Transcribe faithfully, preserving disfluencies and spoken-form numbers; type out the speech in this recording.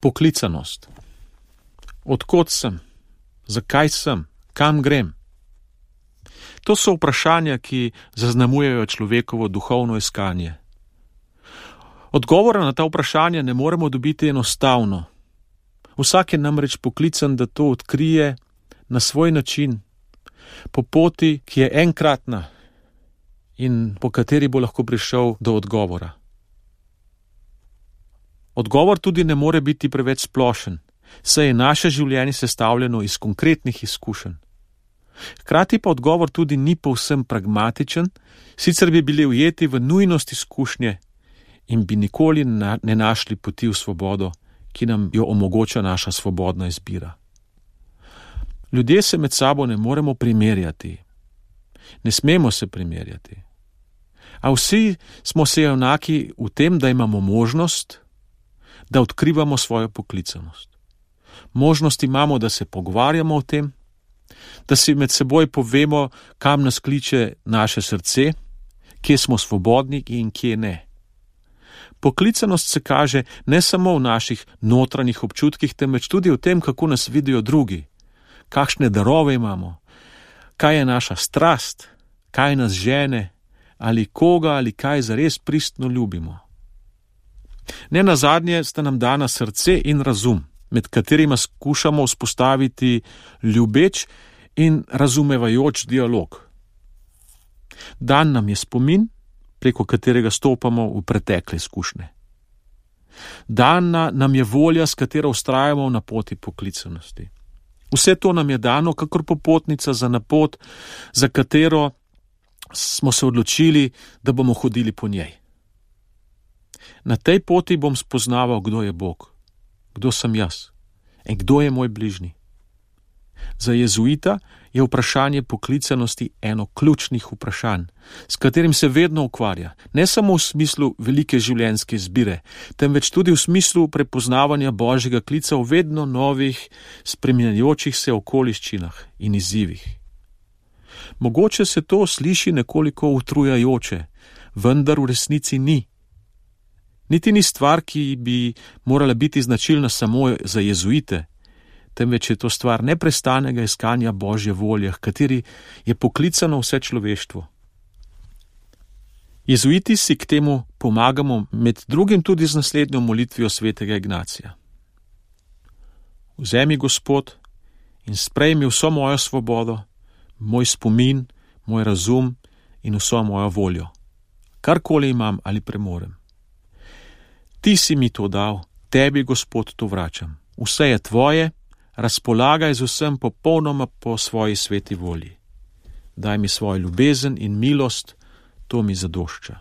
Poklicanost. Odkot sem? Zakaj sem? Kam grem? To so vprašanja, ki zaznamujejo človekovo duhovno iskanje. Odgovora na ta vprašanja ne moremo dobiti enostavno. Vsak je namreč poklican, da to odkrije na svoj način, po poti, ki je enkratna in po kateri bo lahko prišel do odgovora. Odgovor tudi ne more biti preveč splošen, saj je naše življenje sestavljeno iz konkretnih izkušenj. Hkrati pa odgovor tudi ni povsem pragmatičen, sicer bi bili ujeti v nujnost izkušnje in bi nikoli na, ne našli poti v svobodo, ki nam jo omogoča naša svobodna izbira. Ljudje se med sabo ne moremo primerjati. Ne smemo se primerjati. A vsi smo se enaki v tem, da imamo možnost, da odkrivamo svojo poklicanost. Možnost imamo, da se pogovarjamo o tem, da si med seboj povemo, kam nas kliče naše srce, kje smo svobodni in kje ne. Poklicanost se kaže ne samo v naših notranjih občutkih, temveč tudi v tem, kako nas vidijo drugi, kakšne darove imamo, kaj je naša strast, kaj nas žene, ali koga ali kaj zares pristno ljubimo. Ne nazadnje sta nam dana srce in razum, med katerima skušamo vzpostaviti ljubeč in razumevajoč dialog. Dan nam je spomin, preko katerega stopamo v pretekle izkušnje. Dana nam je volja, s katero vztrajamo na poti poklicanosti. Vse to nam je dano kakor popotnica za na pot, za katero smo se odločili, da bomo hodili po njej. Na tej poti bom spoznaval, kdo je Bog, kdo sem jaz in kdo je moj bližnji. Za jezuita je vprašanje poklicanosti eno ključnih vprašanj, s katerim se vedno ukvarja, ne samo v smislu velike življenjske izbire, temveč tudi v smislu prepoznavanja Božjega klica v vedno novih, spreminjajočih se okoliščinah in izzivih. Mogoče se to sliši nekoliko utrujajoče, vendar v resnici ni. Niti ni stvar, ki bi morala biti značilna samo za jezuite, temveč je to stvar neprestanega iskanja Božje volje, kateri je poklicano vse človeštvo. Jezuiti si k temu pomagamo med drugim tudi z naslednjo molitvijo svetega Ignacija. Vzemi, Gospod, in sprejmi vso mojo svobodo, moj spomin, moj razum in vso mojo voljo, karkoli imam ali premorem. Ti si mi to dal, tebi, Gospod, to vračam. Vse je tvoje, razpolagaj z vsem popolnoma po svoji sveti volji. Daj mi svojo ljubezen in milost, to mi zadošča.